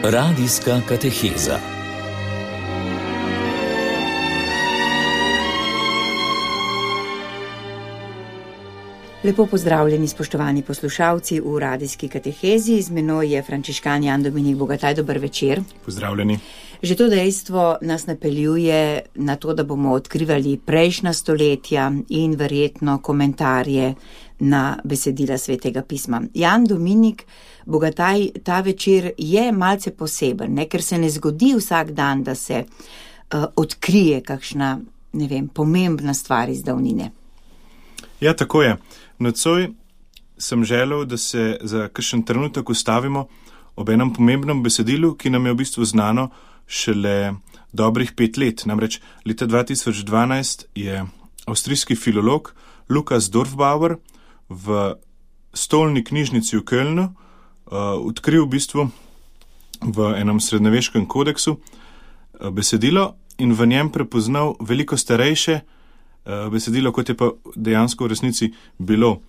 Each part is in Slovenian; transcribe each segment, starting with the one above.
Radijska kateheza. Lepo pozdravljeni, spoštovani poslušalci v radijski katehezi. Z menoj je frančiškan Jan Dominik Bogataj. Dober večer. Pozdravljeni. Že to dejstvo nas napeljuje na to, da bomo odkrivali prejšnja stoletja in verjetno komentarje na besedila Svetega pisma. Jan Dominik Bogataj, ta večer je malce poseben, ne? Ker se ne zgodi vsak dan, da se odkrije kakšna, pomembna stvar iz davnine. Ja, tako je. Nocoj sem želel, da se za kakšen trenutek ustavimo ob enem pomembnem besedilu, ki nam je v bistvu znano šele dobrih 5 let. Namreč leta 2012 je avstrijski filolog Lukas Dorfbauer v stolni knjižnici v Kölnu odkril v bistvu v enem srednjeveškem kodeksu besedilo in v njem prepoznal veliko starejše besedilo, kot je pa dejansko v resnici bilo.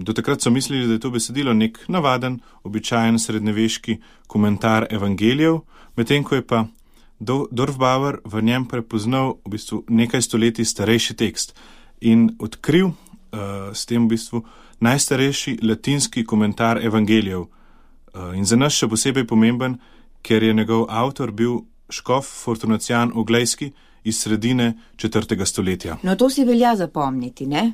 Do takrat so mislili, da je to besedilo nek navaden, običajen srednjeveški komentar evangelijev, medtem ko je pa Dorfbauer v njem prepoznal v bistvu nekaj stoletij starejši tekst in odkril s tem v bistvu najstarejši latinski komentar evangelijev. In za nas še posebej pomemben, ker je njegov avtor bil škof Fortunacijan Oglejski iz sredine 4. stoletja. No, to si velja zapomniti, ne?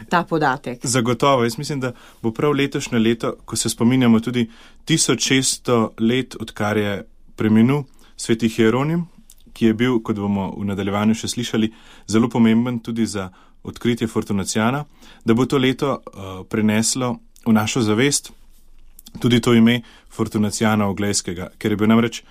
Ta podatek. Zagotovo. Jaz mislim, da bo prav letošnje leto, ko se spominjamo tudi 1600 let, odkar je preminul sveti Hieronim, ki je bil, kot bomo v nadaljevanju še slišali, zelo pomemben tudi za odkritje Fortunacijana, da bo to leto preneslo v našo zavest tudi to ime Fortunacijana Oglejskega, ker je bil namreč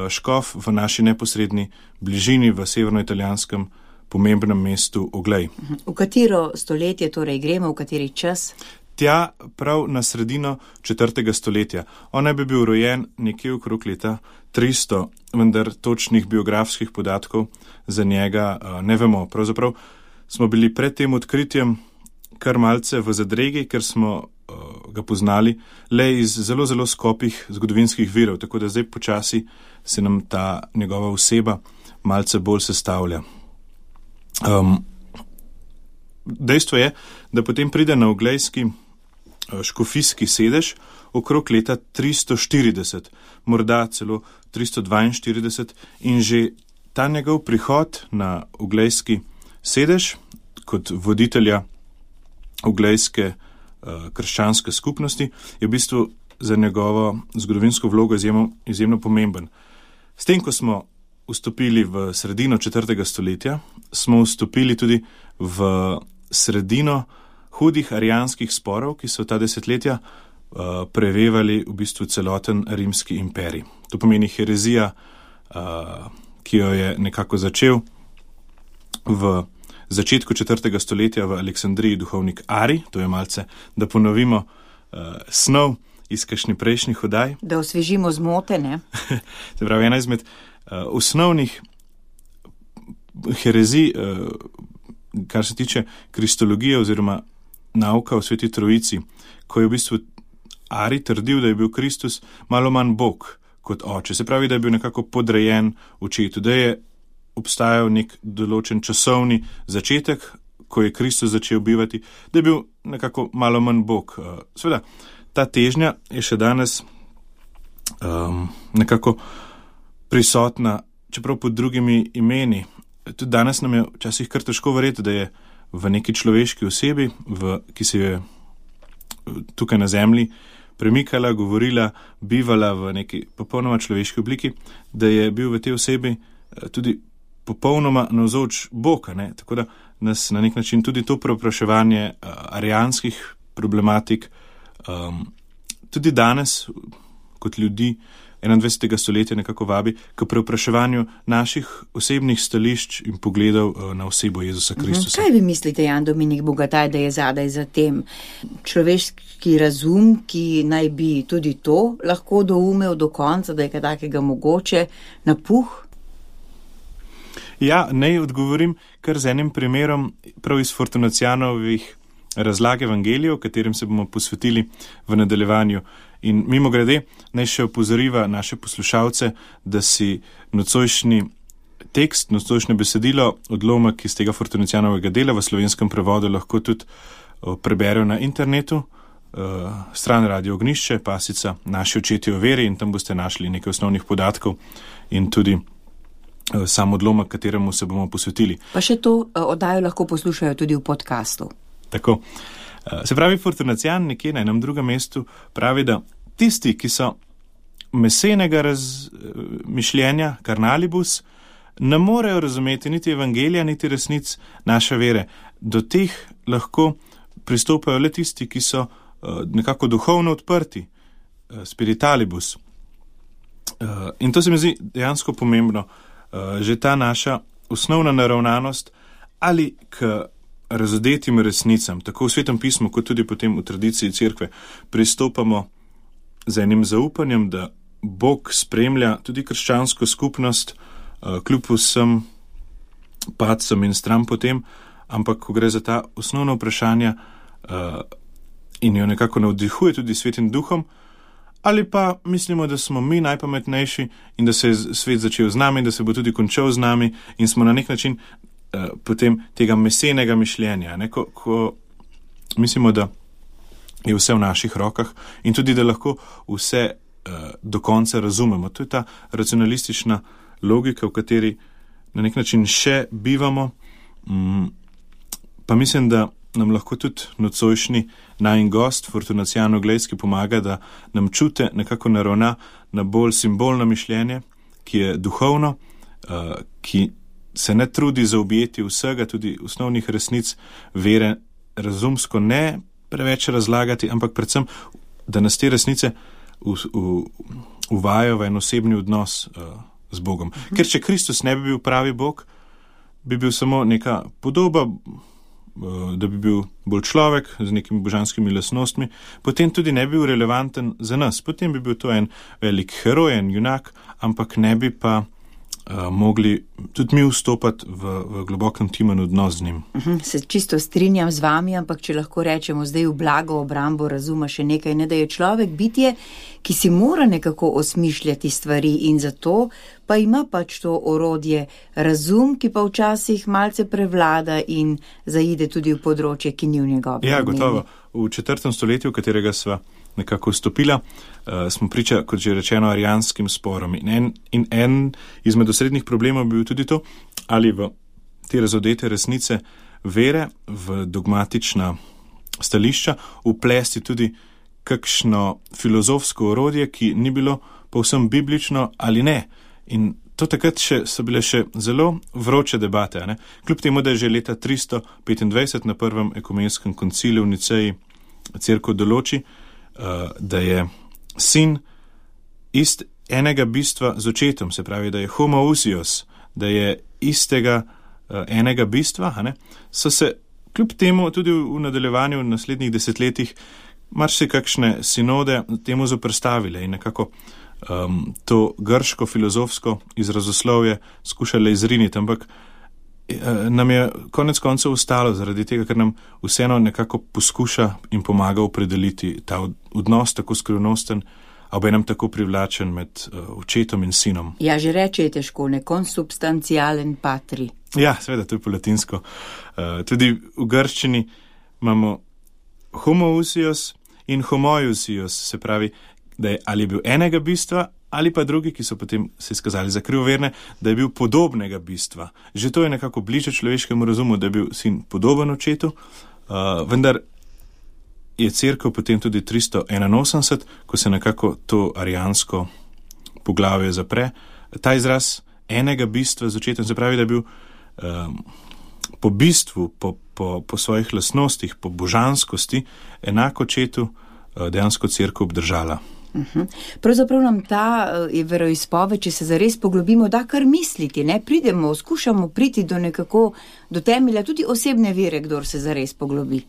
škof v naši neposredni bližini v severnoitalijanskem pomembnem mestu Oglej. V katero stoletje torej gremo, v kateri čas? Tja prav na sredino 4. stoletja. On naj bi bil rojen nekje okrog leta 300, vendar točnih biografskih podatkov za njega ne vemo. Pravzaprav smo bili pred tem odkritjem kar malce v zadregi, ker smo ga poznali le iz zelo, zelo skopih zgodovinskih virov, tako da zdaj počasi se nam ta njegova oseba malce bolj sestavlja. Dejstvo je, da potem pride na oglejski škofijski sedež okrog leta 340, morda celo 342 in že ta njegov prihod na oglejski sedež kot voditelja oglejske krščanske skupnosti je v bistvu za njegovo zgodovinsko vlogo izjemno pomemben. S tem, ko smo vstopili v sredino 4. stoletja, smo vstopili tudi v sredino hudih arijanskih sporov, ki so ta desetletja prevevali v bistvu celoten rimski imperij. To pomeni herezija, ki jo je nekako začel v začetku 4. stoletja v Aleksandriji duhovnik Ari, to je malce, da ponovimo snov iz kakšnih prejšnjih oddaj. Da osvežimo zmote, ne? Se pravi, ena izmed osnovnih herezij, kar se tiče kristologije oziroma nauka o sveti trojici, ko je v bistvu Ari trdil, da je bil Kristus malo manj Bog kot oče. Se pravi, da je bil nekako podrejen očetu, da je obstajal nek določen časovni začetek, ko je Kristus začel bivati, da je bil nekako malo manj Bog. Seveda, ta težnja je še danes nekako prisotna, čeprav pod drugimi imeni. Tudi danes nam je včasih kar težko verjeti, da je v neki človeški osebi, ki se je tukaj na zemlji premikala, govorila, bivala v neki popolnoma človeški obliki, da je bil v tej osebi tudi popolnoma navzoč Bog, ne? Tako da nas na nek način tudi to preopraševanje arijanskih problematik tudi danes kot ljudi 21. stoletja nekako vabi k preopraševanju naših osebnih stališč in pogledov na osebo Jezusa Kristusa. Kaj vi mislite, Jan Dominik Bogataj, da je zadaj za tem? Človeški razum, ki naj bi tudi to lahko doumel do konca, da je kaj takega mogoče, napuh? Ja, naj odgovorim kar z enim primerom prav iz Fortunacijanovih razlage evangelijev, katerim se bomo posvetili v nadaljevanju. In mimo grede, naj še opozoriva naše poslušalce, da si nocojšnji tekst, nocojšnje besedilo, odlomek iz tega Fortunicijanovega dela v slovenskem prevodu lahko tudi preberejo na internetu, stran Radio Ognišče, pasica Naši očetje v veri, in tam boste našli nekaj osnovnih podatkov in tudi sam odlomek, kateremu se bomo posvetili. Pa še to oddajo lahko poslušajo tudi v podcastu. Tako. Se pravi, Fortunicijan nekje na enem drugem mestu pravi, da tisti, ki so mesenega razmišljenja, carnalibus, ne morejo razumeti niti evangelija, niti resnic naše vere. Do teh lahko pristopajo le tisti, ki so nekako duhovno odprti, spiritalibus. In to se mi zdi dejansko pomembno. Že ta naša osnovna naravnanost ali k razodetim resnicam, tako v Svetem pismu, kot tudi potem v tradiciji cerkve, pristopamo z enim zaupanjem, da Bog spremlja tudi krščansko skupnost, kljub vsem padcem in stran potem, ampak ko gre za ta osnovna vprašanja in jo nekako navdihuje tudi Svetim duhom, ali pa mislimo, da smo mi najpametnejši in da se je svet začel z nami, da se bo tudi končal z nami in smo na nek način potem tega mesenega mišljenja, ne? Ko mislimo, da je vse v naših rokah in tudi, da lahko vse do konca razumemo. To je ta racionalistična logika, v kateri na nek način še bivamo, pa mislim, da nam lahko tudi nocojšnji najin gost, Fortunicijan Oglejski, pomaga, da nam čute nekako naravna na bolj simbolno mišljenje, ki je duhovno, ki se ne trudi zaobjeti vsega, tudi osnovnih resnic vere, razumsko ne preveč razlagati, ampak predvsem, da nas te resnice uvajajo v en osebni odnos z Bogom. Ker če Kristus ne bi bil pravi Bog, bi bil samo neka podoba, da bi bil bolj človek z nekimi božanskimi lastnostmi, potem tudi ne bi bil relevanten za nas. Potem bi bil to en velik heroj, en junak, ampak ne bi pa mogli tudi mi vstopati v globok intimen odnos z njim. Se čisto strinjam z vami, ampak če lahko rečemo zdaj v blago obrambo razuma še nekaj, ne da je človek bitje, ki si mora nekako osmišljati stvari in zato pa ima pač to orodje razum, ki pa včasih malce prevlada in zaide tudi v področje, ki ni v njegovem. Ja, gotovo. V 4. stoletju, v katerega sva nekako vstopila, smo priča, kot že rečeno, arijanskim sporom. In en izmed osrednjih problemov bi bil tudi to, ali v te razodete resnice vere, v dogmatična stališča, vplesti tudi kakšno filozofsko orodje, ki ni bilo povsem biblično ali ne. In to takrat so bile še zelo vroče debate. Ne? Kljub temu, da je že leta 325 na prvem ekumenskem koncilu v Niceji cerkev določi, da je sin enega bistva z očetom, se pravi, da je homoousios, da je istega enega bistva, so se kljub temu tudi v nadaljevanju v naslednjih desetletjih marsikakšne sinode temu zoperstavile in nekako to grško filozofsko izrazoslovje skušale izriniti, ampak nam je konec koncev ostalo zaradi tega, ker nam vseeno nekako poskuša in pomaga opredeliti ta odnos tako skrivnosten, a obenem tako privlačen med očetom in sinom. Ja, že reče je težko, ne consubstantialen patri. Ja, seveda, to je po latinsko. Tudi v grščini imamo homoousios in homoiousios, se pravi, da je ali bil enega bistva, ali pa drugi, ki so potem se izkazali za krivoverne, da je bil podobnega bistva. Že to je nekako bliže človeškemu razumu, da je bil sin podoben očetu, vendar je cerkev potem tudi 381, ko se nekako to arijansko poglavje zapre. Ta izraz enega bistva z očetom, se pravi, da je bil po bistvu, po svojih lastnostih, po božanskosti, enako očetu dejansko cerkev obdržala. Pravzaprav nam ta veroizpoved, če se zares poglobimo, da kar misliti, ne? Skušamo priti do temelja tudi osebne vere, kdor se zares poglobi.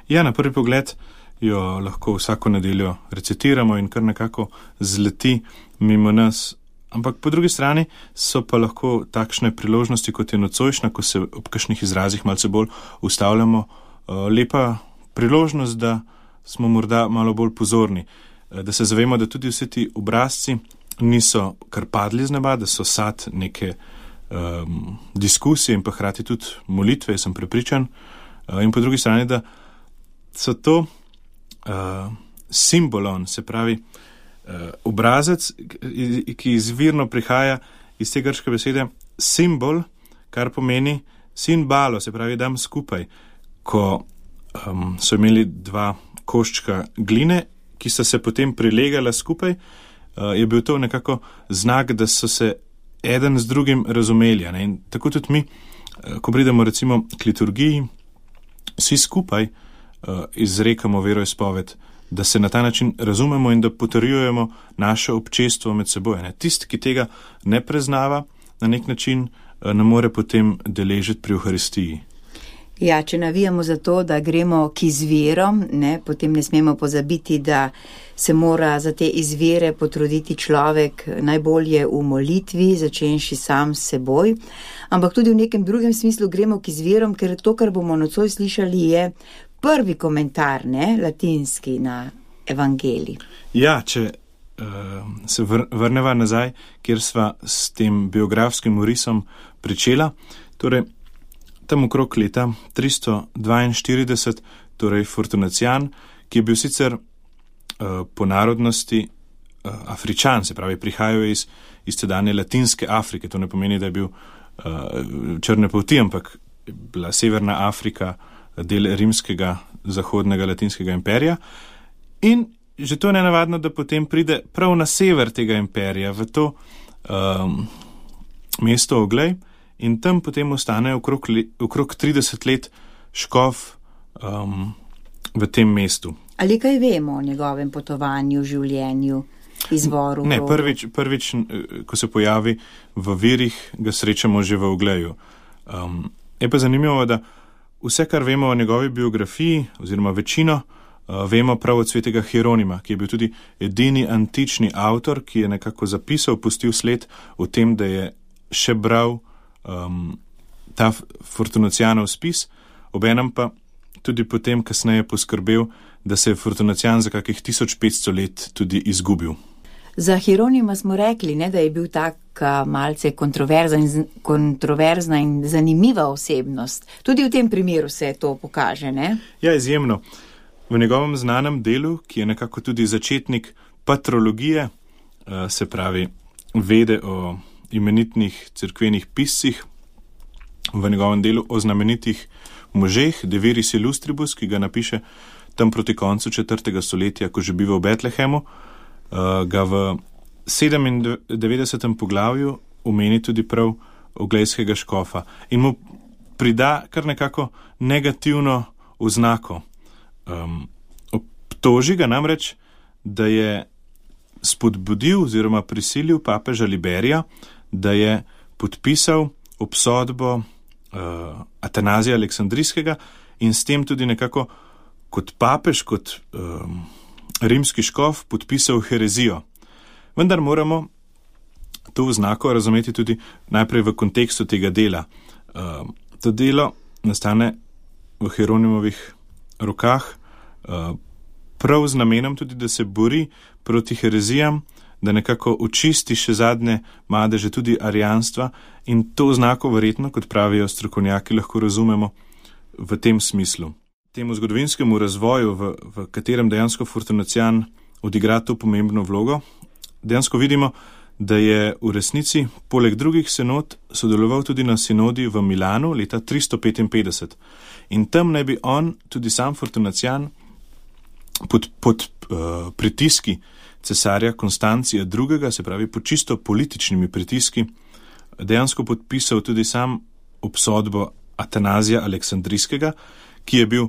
Ja, na prvi pogled jo lahko vsako nedeljo recitiramo in kar nekako zleti mimo nas, ampak po drugi strani so pa lahko takšne priložnosti, kot je nocojšnja, ko se ob kakšnih izrazih malce bolj ustavljamo, lepa priložnost, da smo morda malo bolj pozorni, da se zavemo, da tudi vsi ti obrazci niso kar padli z neba, da so sad neke diskusije in pa hkrati tudi molitve, sem prepričan. In po drugi strani, da so to simbolon, se pravi obrazec, ki izvirno prihaja iz te grške besede simbol, kar pomeni sinbalo, se pravi dam skupaj. Ko so imeli dva koščka gline, ki sta se potem prilegala skupaj, je bil to nekako znak, da so se eden z drugim razumeli. In tako tudi mi, ko pridemo recimo k liturgiji, vsi skupaj izrekamo veroizpoved, da se na ta način razumemo in da potrjujemo naše občestvo med seboj. Tisti, ki tega ne preznava, na nek način ne more potem deležiti pri Euharistiji. Ja, če navijamo za to, da gremo k izvirom, potem ne smemo pozabiti, da se mora za te izvire potruditi človek najbolje v molitvi, začenši sam s seboj, ampak tudi v nekem drugem smislu gremo k izvirom, ker to, kar bomo nocoj slišali, je prvi komentar, latinski na evangelij. Ja, če se vrneva nazaj, kjer sva s tem biografskim orisom pričela, torej tam okrog leta 342, torej Fortunacijan, ki je bil sicer po narodnosti Afričan, se pravi prihajal iz tedanje Latinske Afrike, to ne pomeni, da je bil črne polti, ampak bila Severna Afrika del rimskega zahodnega latinskega imperija in že to je nenavadno, da potem pride prav na sever tega imperija, v to mesto Oglej in tam potem ostane okrog 30 let škof v tem mestu. Ali kaj vemo o njegovem potovanju, življenju, izvoru? Ne, prvič, ko se pojavi v virih, ga srečamo že v Ogleju. Je pa zanimivo, da vse, kar vemo o njegovi biografiji, oziroma večino, vemo prav od svetega Hieronima, ki je bil tudi edini antični avtor, ki je nekako zapisal, pustil sled o tem, da je še bral ta Fortunacijanov spis, obenem pa tudi potem kasneje poskrbel, da se je Fortunacijan za kakih 1500 let tudi izgubil. Za Hieronima smo rekli, da je bil tak malce kontroverzna in zanimiva osebnost. Tudi v tem primeru se to pokaže, ne? Ja, izjemno. V njegovem znanem delu, ki je nekako tudi začetnik patrologije, se pravi vede o imenitnih cerkvenih piscih, v njegovem delu o znamenitih možeh, De Viris Illustribus, ki ga napiše tam proti koncu 4. stoletja, ko že biva v Betlehemu, ga v 97. poglavju omeni tudi prav oglejskega škofa in mu prida kar nekako negativno oznako. Obtoži ga namreč, da je spodbudil oziroma prisilil papeža Liberija, da je podpisal obsodbo Atanazija Aleksandrijskega in s tem tudi nekako kot papež, kot rimski škof podpisal herezijo. Vendar moramo to oznako razumeti tudi najprej v kontekstu tega dela. To delo nastane v Hieronimovih rokah prav z namenom tudi, da se bori proti herezijam, da nekako očisti še zadnje madeže tudi arijanstva in to znako verjetno, kot pravijo strokovnjaki, lahko razumemo v tem smislu. Temu zgodovinskemu razvoju, v katerem dejansko Fortunacijan odigra to pomembno vlogo, dejansko vidimo, da je v resnici poleg drugih sinod sodeloval tudi na sinodi v Milanu leta 355. In tam naj bi on, tudi sam Fortunacijan, pod pritiski cesarja Konstancija II., se pravi pod čisto političnimi pritiski, dejansko podpisal tudi sam obsodbo Atanazija Aleksandrijskega, ki je bil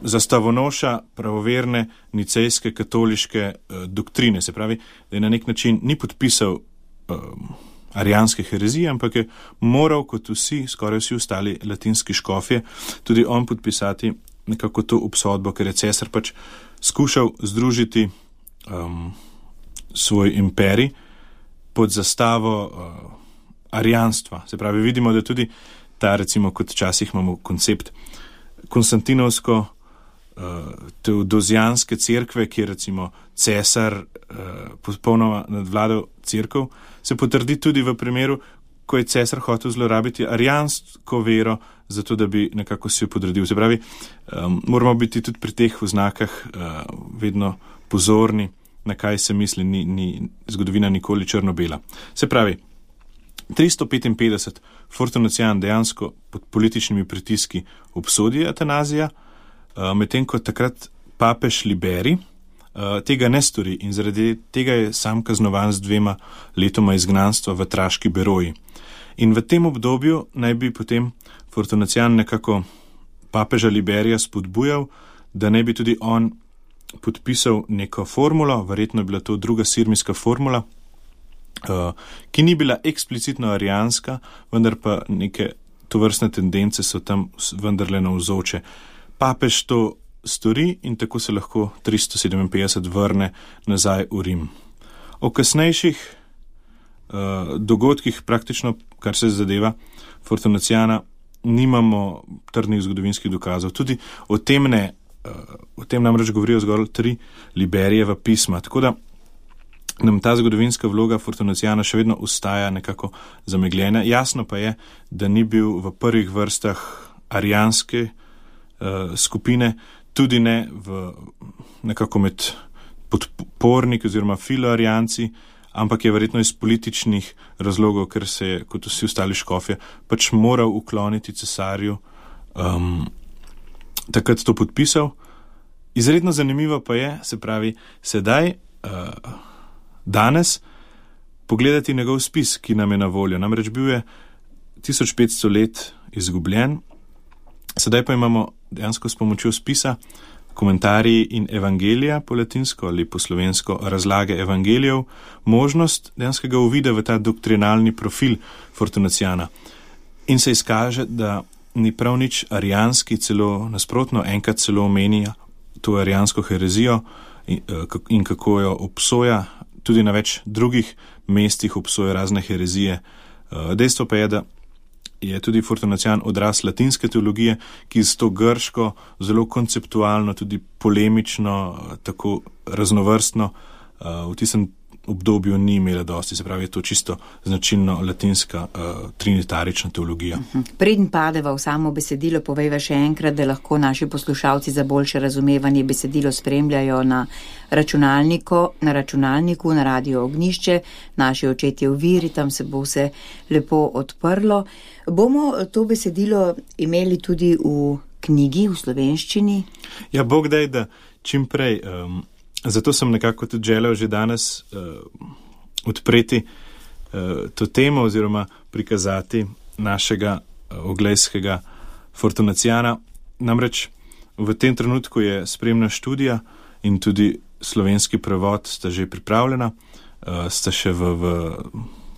zastavonoša pravoverne nicejske katoliške doktrine, se pravi, da je na nek način ni podpisal arijanske herezije, ampak je moral, kot vsi, skoraj vsi ostali latinski škofje, tudi on podpisati nekako to obsodbo, ker je cesar pač skušal združiti svoj imperij pod zastavo arijanstva. Se pravi, vidimo, da tudi ta, recimo, kot včasih imamo koncept konstantinovsko teodozijanske cerkve, kjer recimo cesar popolnoma nadvladal cerkev, se potrdi tudi v primeru, ko je cesar hotel zlorabiti arijansko vero, zato da bi nekako si jo podredil. Se pravi, moramo biti tudi pri teh oznakah vedno pozorni, na kaj se misli, ni zgodovina nikoli črno-bela. Se pravi, 355 Fortunacijan dejansko pod političnimi pritiski obsodi eutanazija, medtem ko takrat papež Liberi tega ne stori in zaradi tega je sam kaznovan z 2 letoma izgnanstva v Traški Beroji. In v tem obdobju naj bi potem Fortunacijan nekako papeža Liberija spodbujal, da naj bi tudi on podpisal neko formulo, verjetno je bila to druga sirmijska formula, ki ni bila eksplicitno arijanska, vendar pa neke tovrstne tendence so tam vendarle navzoče. Papež to stori in tako se lahko 357 vrne nazaj v Rim. O kasnejših dogodkih, praktično kar se zadeva Fortunacijana, nimamo trdnih zgodovinskih dokazov. Tudi o tem namreč govorijo zgolj 3 Liberijeva pisma, tako da nam ta zgodovinska vloga Fortunacijana še vedno ostaja nekako zamegljena. Jasno pa je, da ni bil v prvih vrstah arijanske skupine, tudi ne nekako med podporniki oziroma filoarijanci, ampak je verjetno iz političnih razlogov, ker se je, kot vsi ostali škofje, pač moral ukloniti cesarju, takrat to podpisal. Izredno zanimivo pa je, se pravi, sedaj, danes, pogledati njegov spis, ki nam je na voljo. Namreč bil je 1500 let izgubljen, sedaj pa imamo dejansko s pomočjo spisa komentarji in evangelija po latinsko ali po slovensko razlage evangelijev, možnost dejanskega uvida v ta doktrinalni profil Fortunacijana. In se izkaže, da ni prav nič arijanski, celo nasprotno, enkrat celo omenja to arijansko herezijo in kako jo obsoja, tudi na več drugih mestih obsoja razne herezije. Dejstvo pa je, da je tudi Fortunacijan odraz latinske teologije, ki z to grško, zelo konceptualno, tudi polemično, tako raznovrstno, v tistem obdobju ni imela dosti. Se pravi, je to čisto značilno latinska trinitarična teologija. Preden padeva v samo besedilo, povejva še enkrat, da lahko naši poslušalci za boljše razumevanje besedilo spremljajo na računalniku, na Radio Ognjišče, naši očetje v viri, tam se bo vse lepo odprlo. Bomo to besedilo imeli tudi v knjigi, v slovenščini? Ja, Bog daj, da čim prej. Zato sem nekako tudi želel že danes odpreti to temo oziroma prikazati našega oglejskega Fortunacijana. Namreč v tem trenutku je spremna študija in tudi slovenski prevod sta že pripravljena, sta še v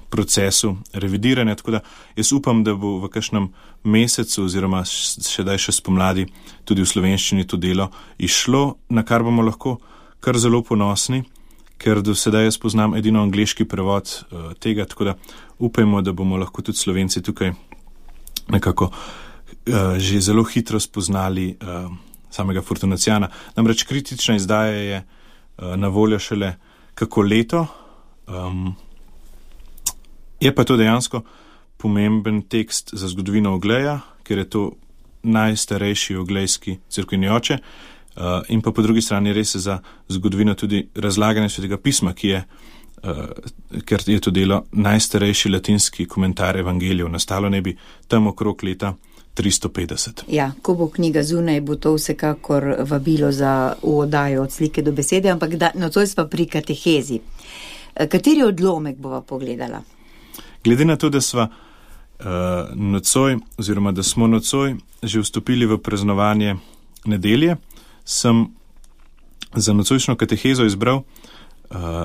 procesu revidiranja, tako da jaz upam, da bo v kakšnem mesecu oziroma še spomladi tudi v slovenščini to delo išlo, na kar bomo lahko kar zelo ponosni, ker do sedaj jaz poznam edino angleški prevod tega, tako da upajmo, da bomo lahko tudi Slovenci tukaj nekako že zelo hitro spoznali samega Fortunacijana. Namreč kritična izdaja je na voljo šele kako leto, je pa to dejansko pomemben tekst za zgodovino Ogleja, ker je to najstarejši oglejski cerkveni oče, in pa po drugi strani res za zgodovino tudi razlaganja Svetega pisma, ker je to delo najstarejši latinski komentar evangelijev. Nastalo ne bi tam okrog leta 350. Ja, ko bo knjiga zunaj, bo to vsekakor vabilo za oddajo od slike do besede, ampak nocoj sva pri katehezi. Kateri odlomek bova pogledala? Glede na to, da sva nocoj, oziroma da smo nocoj že vstopili v praznovanje nedelje, sem za nocojšnjo katehezo izbral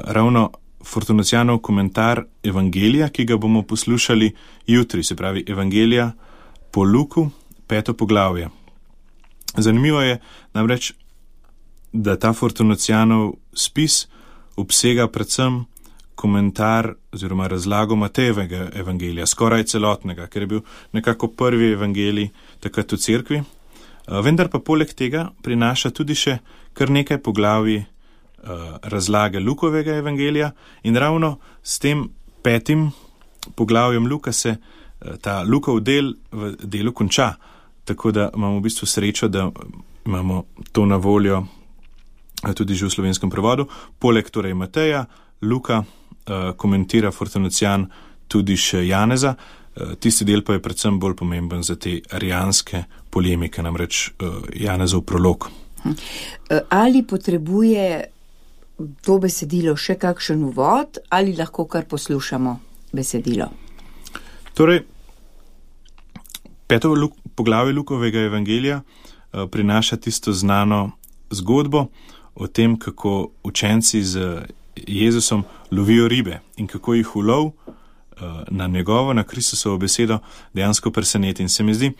ravno Fortunacijanov komentar evangelija, ki ga bomo poslušali jutri, se pravi evangelija po Luku, 5. poglavje. Zanimivo je namreč, da ta Fortunacijanov spis obsega predvsem komentar oziroma razlago Matejevega evangelija, skoraj celotnega, ker je bil nekako prvi evangelij takrat v cerkvi. Vendar pa poleg tega prinaša tudi še kar nekaj poglavij razlage Lukovega evangelija in ravno s tem 5. poglavjem Luka se ta Lukov del v delu konča, tako da imamo v bistvu srečo, da imamo to na voljo tudi že v slovenskem prevodu. Poleg torej Mateja, Luka komentira Fortunacijan tudi še Janeza, tisti del pa je predvsem bolj pomemben za te arijanske polemike, namreč Janezov prolog. Ali potrebuje to besedilo še kakšen uvod ali lahko kar poslušamo besedilo? Torej, 5. poglavje Lukovega evangelija prinaša tisto znano zgodbo o tem, kako učenci z Jezusom lovijo ribe in kako jih ulov na njegovo, na Kristusovo besedo dejansko preseneti. In se mi zdi,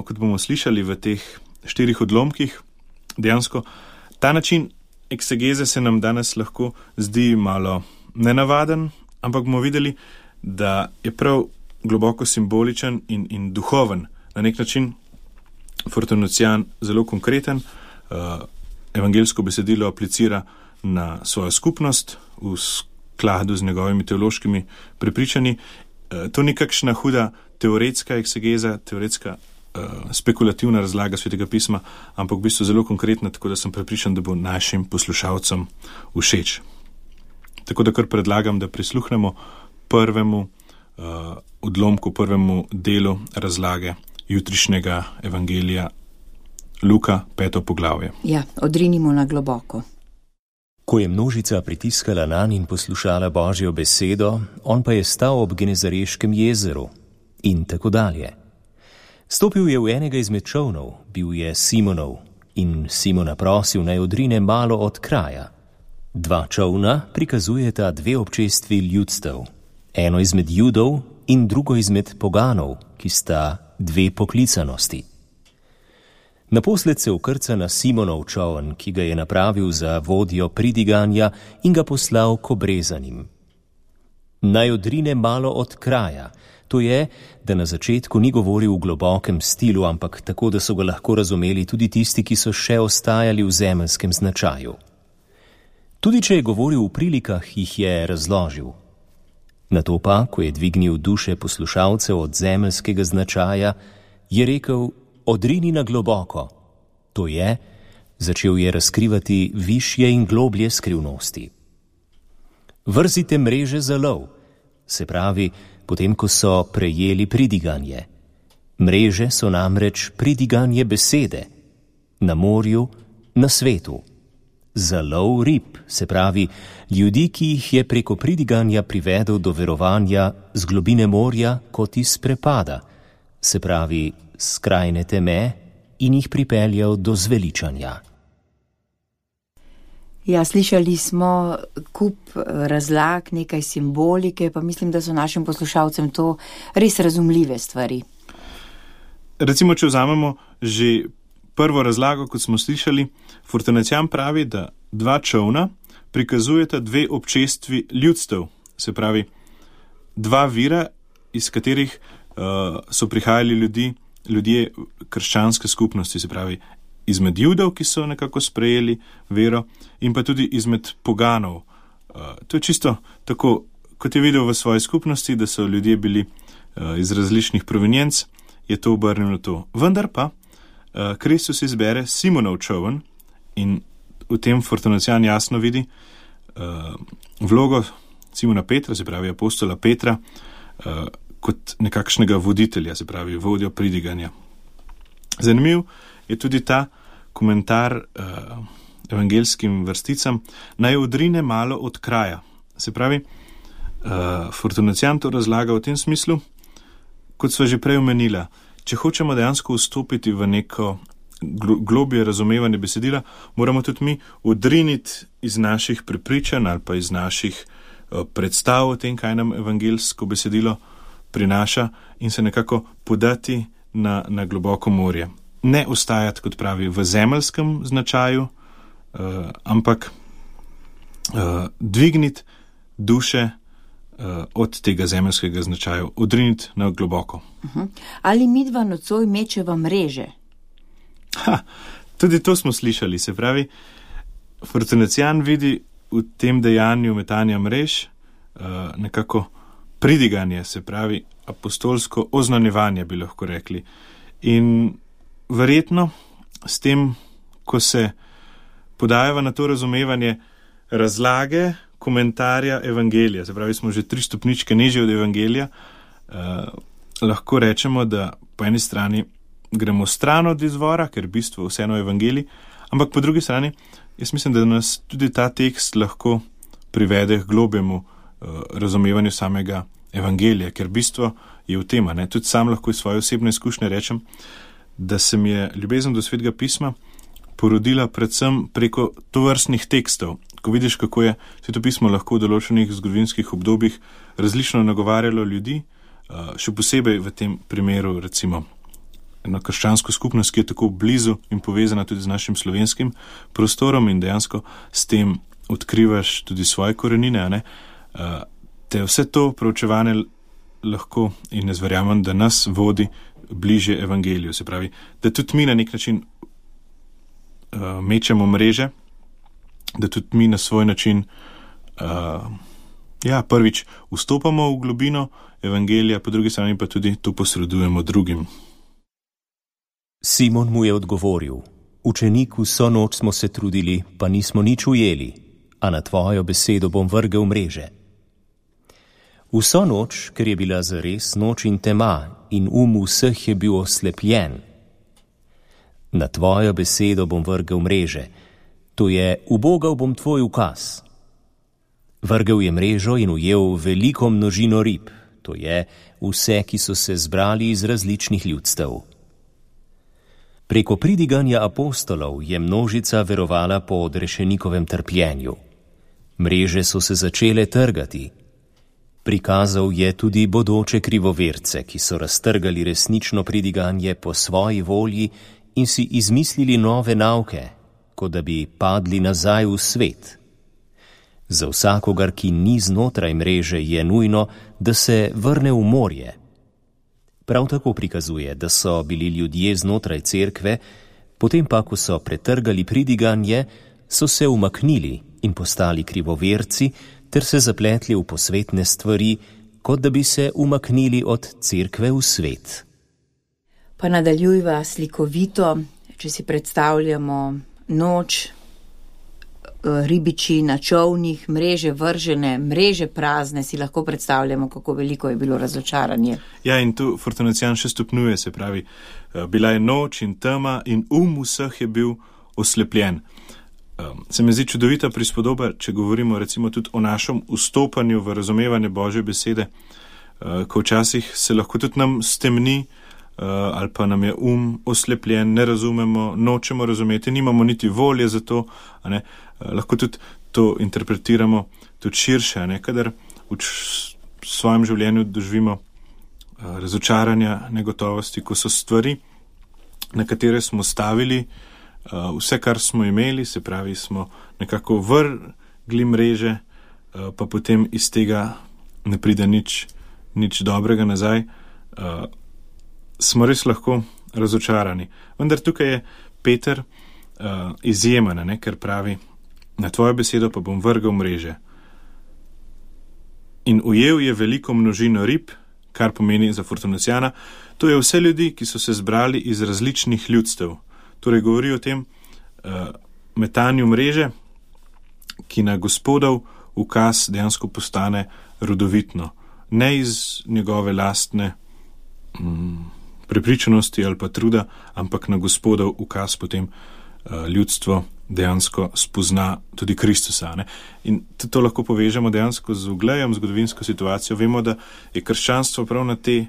kot bomo slišali v teh 4 odlomkih, dejansko ta način eksegeze se nam danes lahko zdi malo nenavaden, ampak bomo videli, da je prav globoko simboličen in duhoven. Na nek način Fortunacijan zelo konkreten, evangeljsko besedilo aplicira na svojo skupnost v skladu z njegovimi teološkimi prepričanji. To ni kakšna huda teoretska eksegeza, teoretska spekulativna razlaga Svetega pisma, ampak v bistvu zelo konkretna, tako da sem prepričan, da bo našim poslušalcem všeč. Tako da kar predlagam, da prisluhnemo prvemu odlomku, prvemu delu razlage jutrišnjega evangelija Luka, 5. poglavje. Ja, odrinimo na globoko. Ko je množica pritiskala nanj in poslušala Božjo besedo, on pa je stal ob Genezareškem jezeru in tako dalje. Stopil je v enega izmed čolnov, bil je Simonov, in Simona prosil, naj odrine malo od kraja. 2 čolna prikazujeta 2 občestvi ljudstev, eno izmed Judov in drugo izmed poganov, ki sta 2 poklicanosti. Naposled se ukrca na Simonov čoln, ki ga je napravil za vodjo pridiganja in ga poslal k obrezanim. Naj odrine malo od kraja, to je, da na začetku ni govoril v globokem stilu, ampak tako, da so ga lahko razumeli tudi tisti, ki so še ostajali v zemeljskem značaju. Tudi če je govoril v prilikah, jih je razložil. Nato pa, ko je dvignil duše poslušalcev od zemeljskega značaja, je rekel, odrini na globoko. To je, začel je razkrivati višje in globlje skrivnosti. Vrzite mreže za lov, se pravi, potem, ko so prejeli pridiganje. Mreže so namreč pridiganje besede, na morju, na svetu. Za lov rib, se pravi, ljudi, ki jih je preko pridiganja privedel do verovanja z globine morja kot iz prepada, se pravi, skrajne teme in jih pripeljal do zveličanja. Ja, slišali smo kup razlag, nekaj simbolike, pa mislim, da so našim poslušalcem to res razumljive stvari. Recimo, če vzamemo že prvo razlago, kot smo slišali, Fortunacijan pravi, da 2 čolna prikazujeta 2 občestvi ljudstev, se pravi 2 vira, iz katerih so prihajali ljudje krščanske skupnosti, se pravi izmed Judov, ki so nekako sprejeli vero, in pa tudi izmed poganov. To je čisto tako, kot je videl v svoji skupnosti, da so ljudje bili iz različnih provenienc, je to obrnilo to. Vendar pa Kristus izbere Simonov čoln in v tem Fortunacijan jasno vidi vlogo Simona Petra, se pravi apostola Petra, kot nekakšnega voditelja, se pravi vodjo pridiganja. Zanimiv je tudi ta komentar evangeljskim vrsticam, naj odrine malo od kraja. Se pravi, Fortunacijan to razlaga v tem smislu, kot sva že prej omenila, če hočemo dejansko vstopiti v neko globje razumevanje besedila, moramo tudi mi odriniti iz naših prepričanj ali pa iz naših predstav o tem, kaj nam evangeljsko besedilo prinaša, in se nekako podati na globoko morje. Ne ostajati, kot pravi, v zemeljskem značaju, ampak dvigniti duše od tega zemeljskega značaja, odriniti na globoko. Ali midva nocoj mečeva mreže? Tudi to smo slišali, se pravi, Fortunacijan vidi v tem dejanju metanja mrež nekako pridiganje, se pravi apostolsko oznanjevanje, bi lahko rekli. In verjetno s tem, ko se podajava na to razumevanje razlage, komentarja evangelija, se pravi, smo že 3 stopničke nižje od evangelija, lahko rečemo, da po eni strani gremo stran od izvora, ker v bistvu vseeno evangelij, ampak po drugi strani, jaz mislim, da nas tudi ta tekst lahko privede k globjemu razumevanju samega evangelija, ker bistvo je v tem, ne? Tudi sam lahko iz svoje osebne izkušnje rečem, da se mi je ljubezen do Svetega pisma porodila predvsem preko tovrstnih tekstov. Ko vidiš, kako je Sveto pismo lahko v določenih zgodovinskih obdobjih različno nagovarjalo ljudi, še posebej v tem primeru recimo eno krščansko skupnost, ki je tako blizu in povezana tudi z našim slovenskim prostorom in dejansko s tem odkrivaš tudi svoje korenine, ne? Te vse to proučevanje lahko, in jaz verjamem, da nas vodi bliže evangeliju, se pravi, da tudi mi na nek način mečemo mreže, da tudi mi na svoj način prvič vstopamo v globino evangelija, po drugi strani pa tudi to posredujemo drugim. Simon mu je odgovoril: Učenik, vso noč smo se trudili, pa nismo nič ujeli, a na tvojo besedo bom vrgel mreže. Vso noč, ker je bila zares noč in tema in vseh je bil oslepljen. Na tvojo besedo bom vrgel mreže, to je, ubogal bom tvoj ukaz. Vrgel je mrežo in ujel veliko množino rib, to je, vse, ki so se zbrali iz različnih ljudstev. Preko pridiganja apostolov je množica verovala po odrešenikovem trpljenju. Mreže so se začele trgati. Prikazal je tudi bodoče krivoverce, ki so raztrgali resnično pridiganje po svoji volji in si izmislili nove nauke, kot da bi padli nazaj v svet. Za vsakogar, ki ni znotraj mreže, je nujno, da se vrne v morje. Prav tako prikazuje, da so bili ljudje znotraj cerkve, potem pa, ko so pretrgali pridiganje, so se umaknili in postali krivoverci, ter se zapletli v posvetne stvari, kot da bi se umaknili od cerkve v svet. Pa nadaljujva slikovito, če si predstavljamo noč, ribiči na čolnih, mreže vržene, mreže prazne, si lahko predstavljamo, kako veliko je bilo razočaranje. Ja, in tu Fortunacijan še stopnjuje, se pravi, bila je noč in tema in vseh je bil oslepljen. Se mi zdi čudovita prispodoba, če govorimo recimo tudi o našem vstopanju v razumevanje Božje besede, ko včasih se lahko tudi nam stemni ali pa nam je oslepljen, ne razumemo, nočemo razumeti, nimamo niti volje za to, ne? Lahko tudi to interpretiramo tudi širše, ne? Kadar v svojem življenju doživimo razočaranja, negotovosti, ko so stvari, na katere smo stavili vse, kar smo imeli, se pravi, smo nekako vrgli mreže, pa potem iz tega ne pride nič dobrega nazaj, smo res lahko razočarani. Vendar tukaj je Peter izjemen, ne, ker pravi, na tvojo besedo pa bom vrgel mreže. In ujel je veliko množino rib, kar pomeni za Fortunacijana, to je vse ljudi, ki so se zbrali iz različnih ljudstev. Torej govori o tem metanju mreže, ki na Gospodov ukaz dejansko postane rodovitno. Ne iz njegove lastne prepričanosti ali pa truda, ampak na Gospodov ukaz potem ljudstvo dejansko spozna tudi Kristusa. Ne? In to lahko povežemo dejansko z uglejem, zgodovinsko situacijo. Vemo, da je krščanstvo prav na te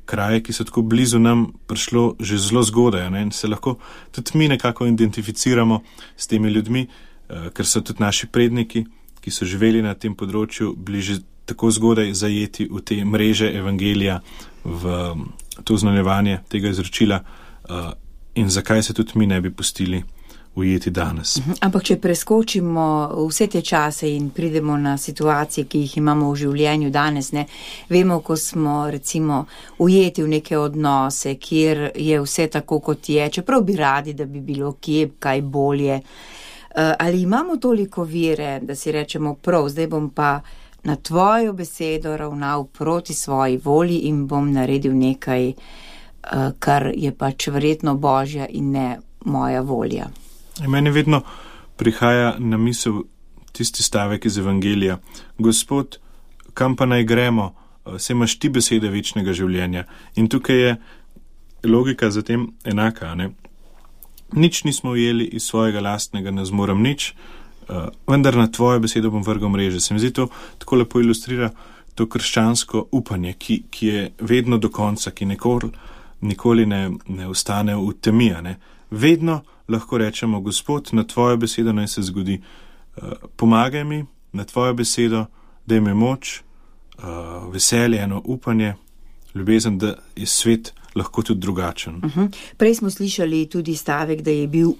kraje, ki so tako blizu nam, prišlo že zelo zgodaj, ne? In se lahko tudi mi nekako identificiramo s temi ljudmi, ker so tudi naši predniki, ki so živeli na tem področju, bili že tako zgodaj zajeti v te mreže evangelija, v to znanjevanje tega izročila, in zakaj se tudi mi ne bi pustili ujeti danes. Ampak če preskočimo vse te čase in pridemo na situacije, ki jih imamo v življenju danes, ne, vemo, ko smo recimo ujeti v neke odnose, kjer je vse tako, kot je, čeprav bi radi, da bi bilo kje kaj bolje. Ali imamo toliko vere, da si rečemo prav, zdaj bom pa na tvojo besedo ravnal proti svoji volji in bom naredil nekaj, kar je pač verjetno Božja in ne moja volja. Meni vedno prihaja na misel tisti stavek iz Evangelija. Gospod, kam pa naj gremo, saj imaš ti besede večnega življenja. In tukaj je logika zatem enaka, ne? Nič nismo ujeli iz svojega lastnega, ne zmorem nič, vendar na tvojo besedo bom vrgal mreže. Se mi zdi to tako lepo ilustrira to krščansko upanje, ki je vedno do konca, ki nikoli ne ostane v temi, ne? Vedno lahko rečemo, Gospod, na tvojo besedo naj se zgodi. Pomagaj mi, na tvojo besedo, daj mi moč, veselje, eno upanje, ljubezen, da je svet lahko tudi drugačen. Prej smo slišali tudi stavek, da je bil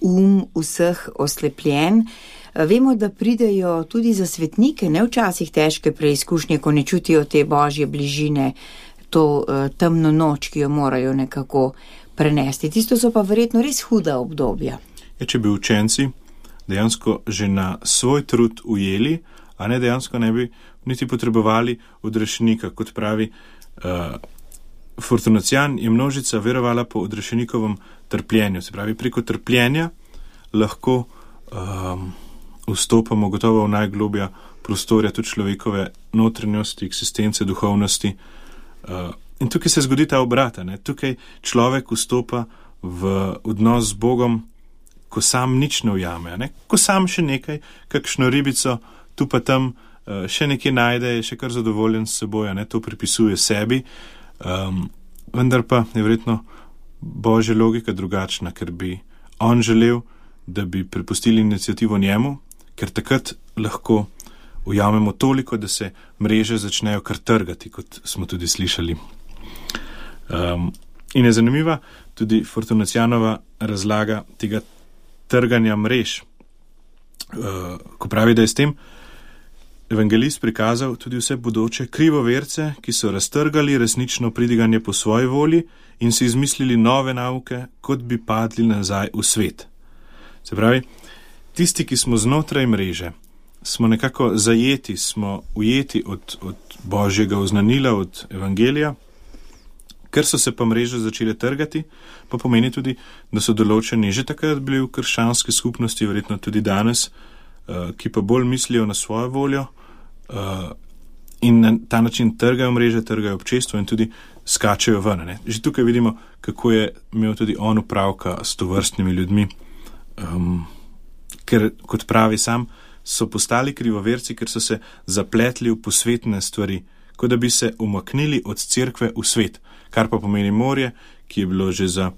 vseh oslepljen. Vemo, da pridejo tudi za svetnike, ne včasih težke preizkušnje, ko ne čutijo te Božje bližine, to temno noč, ki jo morajo nekako prenesti. Tisto so pa verjetno res huda obdobja. Če bi učenci dejansko že na svoj trud ujeli, a ne dejansko ne bi niti potrebovali odrešenika, kot pravi Fortunacijan, je množica verovala po odrešenikovem trpljenju. Se pravi, preko trpljenja lahko vstopamo gotovo v najglobja prostorja tudi človekove notranjosti, eksistence, duhovnosti. In tukaj se zgodi ta obrat, ne? Tukaj človek vstopa v odnos z Bogom, ko sam nič ne ujame, ne? Ko sam še nekaj, kakšno ribico, tu pa tam še nekaj najde, je še kar zadovoljen s seboj, ne? To pripisuje sebi, vendar pa je verjetno Božja logika drugačna, ker bi on želel, da bi prepustili iniciativo njemu, ker takrat lahko ujamemo toliko, da se mreže začnejo kar trgati, kot smo tudi slišali. In je zanimiva tudi Fortunacijanova razlaga tega trganja mrež, ko pravi, da je s tem evangelist prikazal tudi vse bodoče krivoverce, ki so raztrgali resnično pridiganje po svoji volji in si izmislili nove nauke, kot bi padli nazaj v svet. Se pravi, tisti, ki smo znotraj mreže, smo nekako zajeti, smo ujeti od Božjega oznanila, od evangelija, ker so se pa mreže začele trgati, pa pomeni tudi, da so določeni že takrat bili v krščanski skupnosti, verjetno tudi danes, ki pa bolj mislijo na svojo voljo in na ta način trgajo mreže, trgajo občestvo in tudi skačejo ven. Ne? Že tukaj vidimo, kako je imel tudi on upravka s tovrstnimi ljudmi, ker, kot pravi sam, so postali krivoverci, ker so se zapletli v posvetne stvari, kot da bi se umaknili od cerkve v svet, kar pa pomeni morje, ki je bilo že za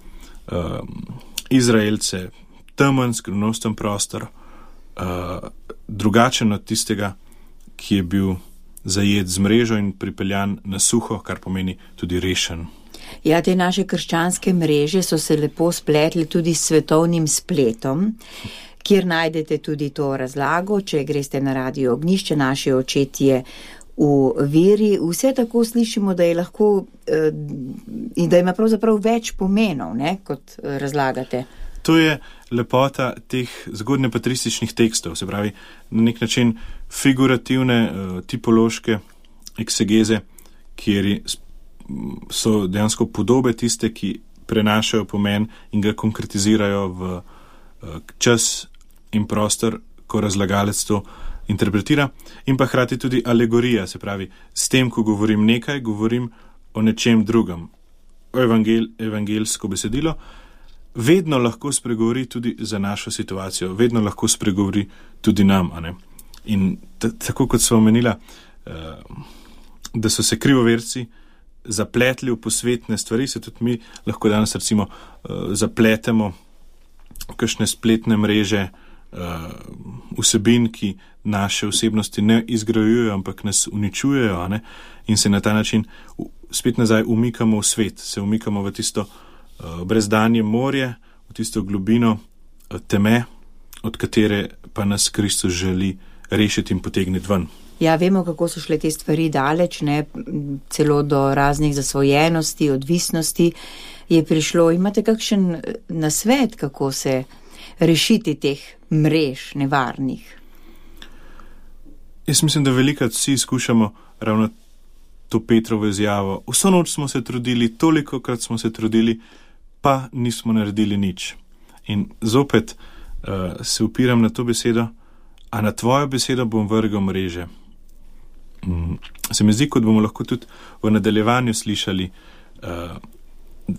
Izraelce temen, skrivnosten prostor, drugačen od tistega, ki je bil zajet z mrežo in pripeljan na suho, kar pomeni tudi rešen. Ja, te naše krščanske mreže so se lepo spletli tudi s svetovnim spletom, kjer najdete tudi to razlago, če greste na Radio Ognjišče, naši očetje v veri. Vse tako slišimo, da je lahko in da ima pravzaprav več pomenov, ne, kot razlagate. To je lepota teh zgodnjepatrističnih tekstov, se pravi, na nek način figurativne, tipološke eksegeze, kjer so dejansko podobe tiste, ki prenašajo pomen in ga konkretizirajo v čas in prostor, ko razlagalec to interpretira, in pa hkrati tudi alegorija, se pravi, s tem, ko govorim nekaj, govorim o nečem drugem. O evangelsko besedilo vedno lahko spregovori tudi za našo situacijo, vedno lahko spregovori tudi nam, a ne? In tako kot smo omenila, da so se krivoverci zapletli v posvetne stvari, se tudi mi lahko danes recimo zapletemo v kakšne spletne mreže vsebin, ki naše osebnosti ne izgrajujejo, ampak nas uničujejo, a ne? In se na ta način spet nazaj umikamo v svet, se umikamo v tisto brezdanje morje, v tisto globino teme, od katere pa nas Kristus želi rešiti in potegniti ven. Ja, vemo, kako so šle te stvari daleč, ne, celo do raznih zasvojenosti, odvisnosti je prišlo. Imate kakšen nasvet, kako se rešiti teh mrež nevarnih? Jaz mislim, da velikrat vsi skušamo ravno to Petrovo izjavo. Vso noč smo se trudili, tolikokrat smo se trudili, pa nismo naredili nič. In zopet se upiram na to besedo, a na tvojo besedo bom vrgel mreže. Se mi zdi, kot bomo lahko tudi v nadaljevanju slišali,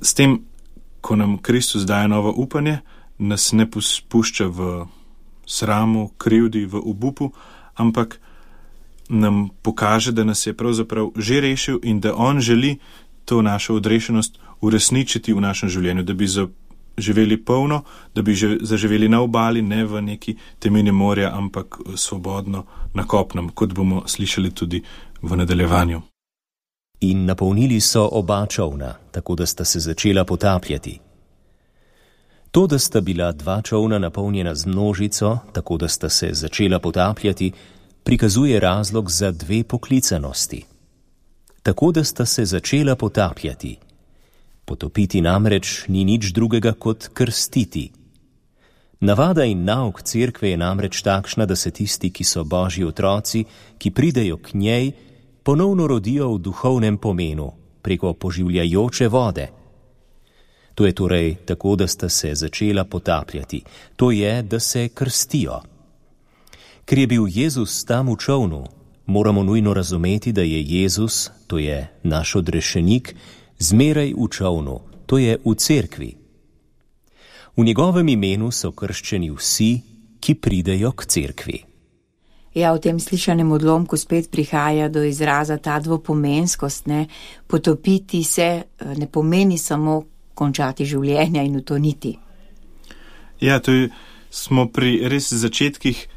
s tem, ko nam Kristus daje novo upanje, nas ne pušča v sramu, krivdi, v obupu, ampak nam pokaže, da nas je pravzaprav že rešil in da on želi to našo odrešenost uresničiti v našem življenju, da bi živeli polno, da bi zaživeli na obali, ne v neki temini morja, ampak svobodno na kopnem, kot bomo slišali tudi v nadaljevanju. In napolnili so oba čolna, tako da sta se začela potapljati. To, da sta bila dva čolna napolnjena z množico, tako da sta se začela potapljati, prikazuje razlog za dve poklicanosti. Tako da sta se začela potapljati. Potopiti namreč ni nič drugega kot krstiti. Navada in nauk cerkve je namreč takšna, da se tisti, ki so Božji otroci, ki pridejo k njej, ponovno rodijo v duhovnem pomenu, preko poživljajoče vode. To je torej tako, da sta se začela potapljati. To je, da se krstijo. Ker je bil Jezus tam v čolnu, moramo nujno razumeti, da je Jezus, to je naš odrešenik, zmeraj v čolnu, to je v cerkvi. V njegovem imenu so krščeni vsi, ki pridejo k cerkvi. Ja, v tem slišanem odlomku spet prihaja do izraza ta dvopomenskost, ne. Potopiti se ne pomeni samo končati življenja in utoniti. Ja, smo pri res začetkih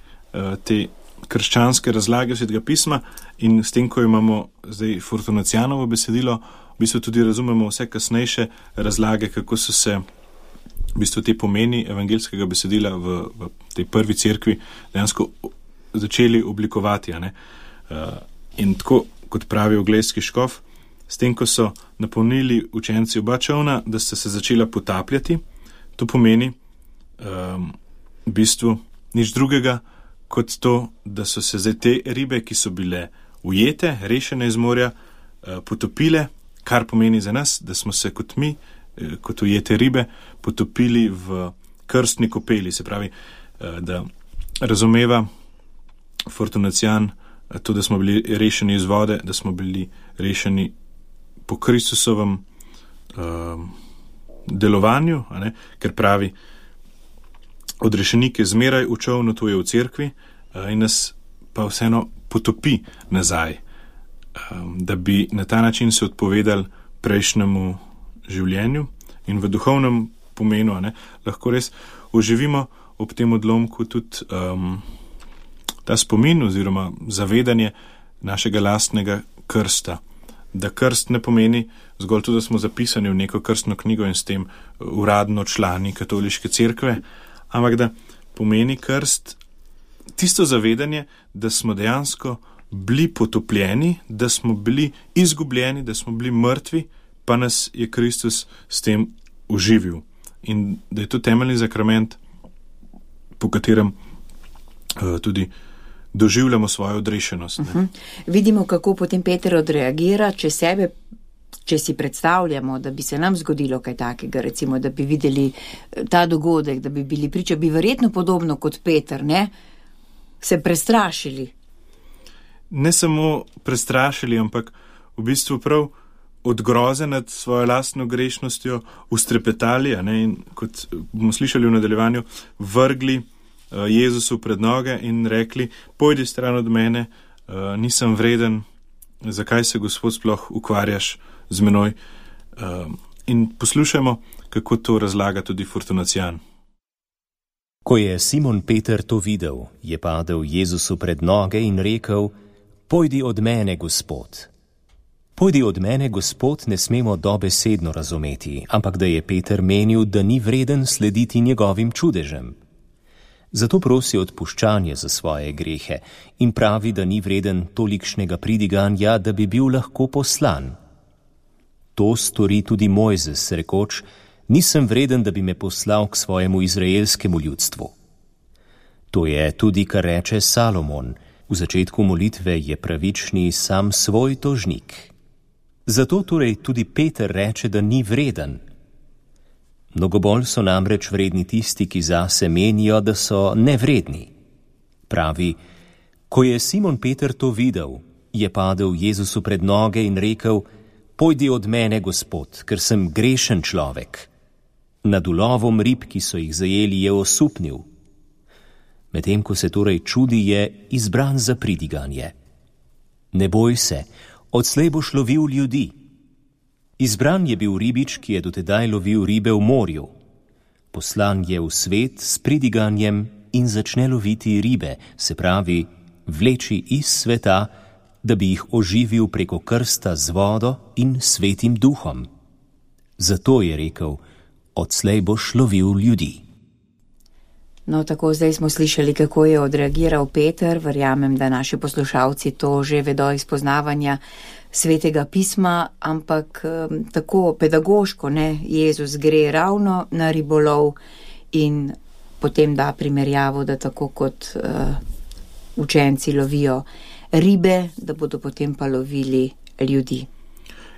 te krščanske razlage Svetega pisma in s tem, ko imamo zdaj Fortunacianovo besedilo, v bistvu tudi razumemo vse kasnejše razlage, kako so se v bistvu te pomeni evangeljskega besedila v tej prvi cerkvi dejansko začeli oblikovati. In tako, kot pravi Oglejski škof, s tem, ko so napolnili učenci oba čolna, da sta se začela potapljati, to pomeni v bistvu nič drugega, kot to, da so se zdaj te ribe, ki so bile ujete, rešene iz morja, potopile, kar pomeni za nas, da smo se kot mi, kot ujete ribe, potopili v krstni kopeli. Se pravi, da razumeva Fortunacian to, da smo bili rešeni iz vode, da smo bili rešeni po Kristusovem delovanju, ker pravi, odrešenik je zmeraj v čolnu, to je v cerkvi, in nas pa vseeno potopi nazaj, da bi na ta način se odpovedali prejšnjemu življenju in v duhovnem pomenu lahko res oživimo ob tem odlomku tudi ta spomin oziroma zavedanje našega lastnega krsta. Da krst ne pomeni zgolj to, da smo zapisani v neko krstno knjigo in s tem uradno člani katoliške cerkve, ampak da pomeni krst tisto zavedanje, da smo dejansko bili potopljeni, da smo bili izgubljeni, da smo bili mrtvi, pa nas je Kristus s tem oživil. In da je to temeljni zakrament, po katerem tudi doživljamo svojo odrešenost. Vidimo, kako potem Peter odreagira, če si predstavljamo, da bi se nam zgodilo kaj takega, recimo, da bi videli ta dogodek, da bi bili priča, bi verjetno podobno kot Peter, ne, se prestrašili. Ne samo prestrašili, ampak v bistvu prav od groze nad svojo lastno grešnostjo ustrepetali, in kot bomo slišali v nadaljevanju, vrgli Jezusu pred noge in rekli, pojdi stran od mene, nisem vreden, zakaj se Gospod sploh ukvarjaš z menoj. In poslušajmo, kako to razlaga tudi Fortunacian. Ko je Simon Peter to videl, je padel Jezusu pred noge in rekel, pojdi od mene, Gospod. Pojdi od mene, Gospod, ne smemo dobesedno razumeti, ampak da je Peter menil, da ni vreden slediti njegovim čudežem. Zato prosi odpuščanje za svoje grehe in pravi, da ni vreden tolikšnega pridiganja, da bi bil lahko poslan. To stori tudi Mojzes, rekoč: nisem vreden, da bi me poslal k svojemu izraelskemu ljudstvu. To je tudi, kar reče Salomon. V začetku molitve je pravični sam svoj tožnik. Zato torej tudi Peter reče, da ni vreden. Mnogo bolj so namreč vredni tisti, ki zase menijo, da so nevredni. Pravi: ko je Simon Peter to videl, je padel Jezusu pred noge in rekel: pojdi od mene, Gospod, ker sem grešen človek. Nad ulovom rib, ki so jih zajeli, je osupnil. Medtem ko se torej čudi, je izbran za pridiganje. Ne boj se, odslej boš lovil ljudi. Izbran je bil ribič, ki je dotedaj lovil ribe v morju. Poslan je v svet s pridiganjem in začne loviti ribe, se pravi, vleči iz sveta, da bi jih oživil preko krsta z vodo in svetim duhom. Zato je rekel: odslej boš lovil ljudi. No, tako zdaj smo slišali, kako je odreagiral Peter. Verjamem, da naši poslušalci to že vedo iz poznavanja Svetega pisma, ampak tako pedagoško, ne, Jezus gre ravno na ribolov in potem da primerjavo, da tako kot učenci lovijo ribe, da bodo potem pa lovili ljudi.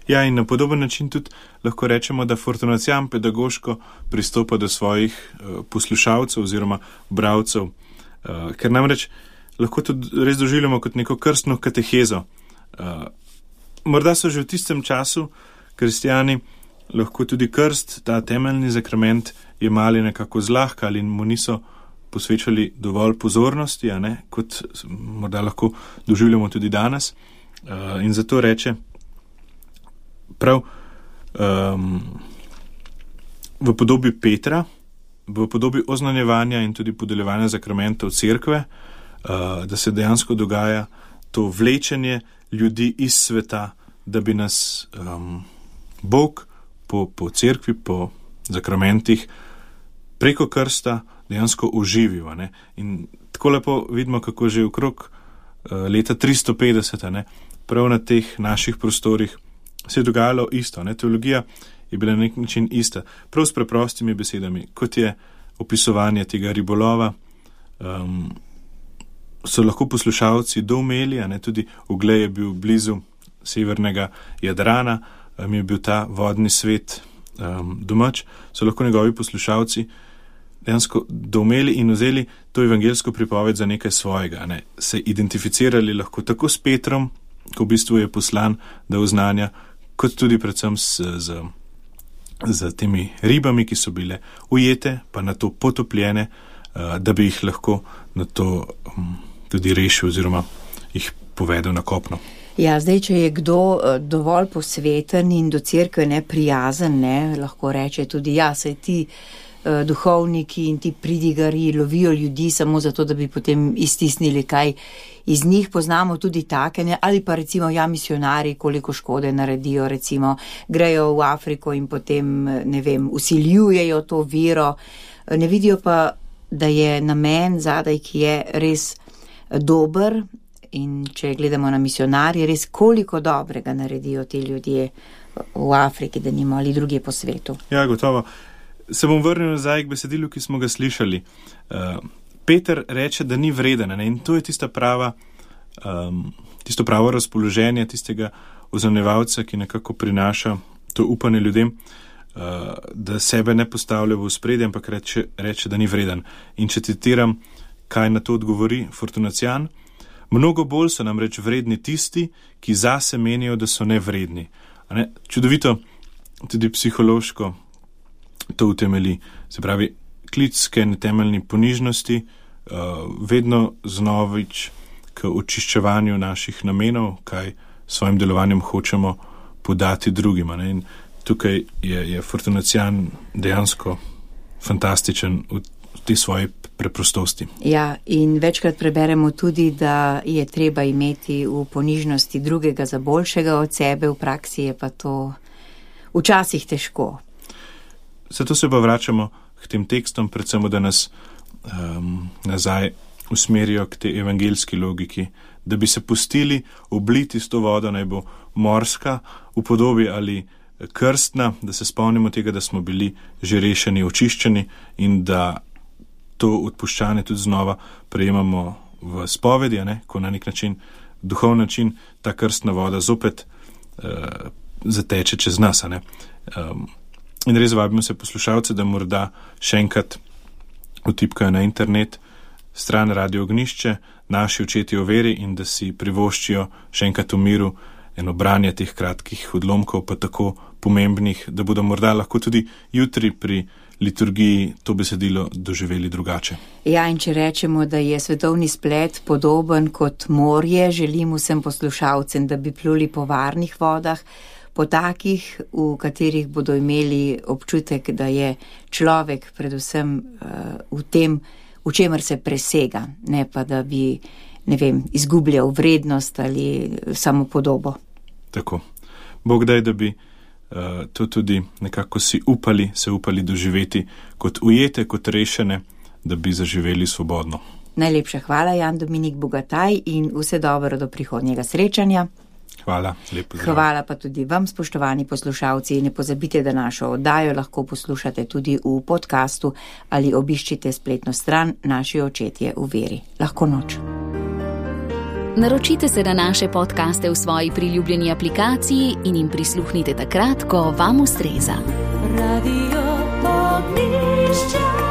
Ja, in na podoben način tudi lahko rečemo, da Fortunacijan pedagoško pristopa do svojih poslušalcev oziroma bralcev, ker namreč lahko tudi res doživljamo kot neko krstno katehezo. Morda so že v tistem času kristjani lahko tudi krst, ta temeljni zakrament, jemali nekako zlahka ali mu niso posvečali dovolj pozornosti, kot morda lahko doživljamo tudi danes. In zato reče prav v podobi Petra, v podobi oznanjevanja in tudi podeljevanja zakramentov cerkve, da se dejansko dogaja to vlečenje ljudi iz sveta, da bi nas Bog po cerkvi, po zakramentih preko krsta dejansko oživil. In tako lepo vidimo, kako že okrog leta 350, prav na teh naših prostorih se je dogajalo isto. Teologija je bila na nek način ista. Prav s preprostimi besedami, kot je opisovanje tega ribolova, so lahko poslušalci doumeli, tudi Uglej je bil blizu severnega Jadrana, mi je bil ta vodni svet domač, so lahko njegovi poslušalci dejansko doumeli in vzeli to evangeljsko pripoved za nekaj svojega. Se identificirali lahko tako s Petrom, ko v bistvu je poslan, da oznanja, kot tudi predvsem z temi ribami, ki so bile ujete, pa na to potopljene, da bi jih lahko na to tudi rešil oziroma jih povedal na kopno. Ja, zdaj, če je kdo dovolj posveten in do cerkve neprijazen, lahko reče tudi: ja, saj ti duhovniki in ti pridigari lovijo ljudi samo zato, da bi potem iztisnili kaj iz njih. Poznamo tudi take, ali pa recimo misionari, koliko škode naredijo, recimo grejo v Afriko in potem, vsiljujejo to vero, ne vidijo pa, da je namen zadaj, ki je res dober. In če gledamo na misionarje, res koliko dobrega naredijo ti ljudje v Afriki, da nima ali druge po svetu. Ja, gotovo. Se bom vrnil nazaj k besedilu, ki smo ga slišali. Peter reče, da ni vreden, in to je tisto pravo razpoloženje tistega oznanjevalca, ki nekako prinaša to upanje ljudem, da sebe ne postavlja v ospredje, ampak reče, da ni vreden. In če citiram, kaj na to odgovori Fortunacijan: mnogo bolj so namreč vredni tisti, ki zase menijo, da so nevredni. Čudovito, tudi psihološko to utemeli. Se pravi, klic k temeljni ponižnosti, vedno znovič k očiščevanju naših namenov, kaj svojim delovanjem hočemo podati drugima. In tukaj je Fortunacijan dejansko fantastičen v tej svoji preprostosti. Ja, in večkrat preberemo tudi, da je treba imeti v ponižnosti drugega za boljšega od sebe, v praksi je pa to včasih težko. Zato se pa vračamo k tem tekstom, predvsem, da nas nazaj usmerijo k tej evangeljski logiki, da bi se pustili obliti s to vodo, naj bo morska v podobi ali krstna, da se spomnimo tega, da smo bili že rešeni, očiščeni in da to odpuščanje tudi znova prejemamo v spovedi, ko na nek način, duhovni način, ta krstna voda zopet zateče čez nas. In res vabimo se poslušalce, da morda še enkrat vtipkajo na internet stran Radio Ognjišče, Naši očetje v veri, in da si privoščijo še enkrat v miru eno branje teh kratkih odlomkov, pa tako pomembnih, da bodo morda lahko tudi jutri pri liturgiji to besedilo doživeli drugače. Ja, in če rečemo, da je svetovni splet podoben kot morje, želim vsem poslušalcem, da bi pluli po varnih vodah, po takih, v katerih bodo imeli občutek, da je človek predvsem v tem, v čemer se presega, ne pa da bi, izgubljal vrednost ali samopodobo. Tako. Bog daj, da bi to tudi nekako se upali doživeti kot ujete, kot rešene, da bi zaživeli svobodno. Najlepša hvala, Jan Dominik Bogataj, in vse dobro do prihodnjega srečanja. Hvala, lepo zdrav. Hvala pa tudi vam, spoštovani poslušalci. Ne pozabite, da našo oddajo lahko poslušate tudi v podkastu ali obiščite spletno stran Naši očetje v veri. Lahko noč. Naročite se na naše podcaste v svoji priljubljeni aplikaciji in jim prisluhnite takrat, ko vam ustreza. Radio Ognjišče.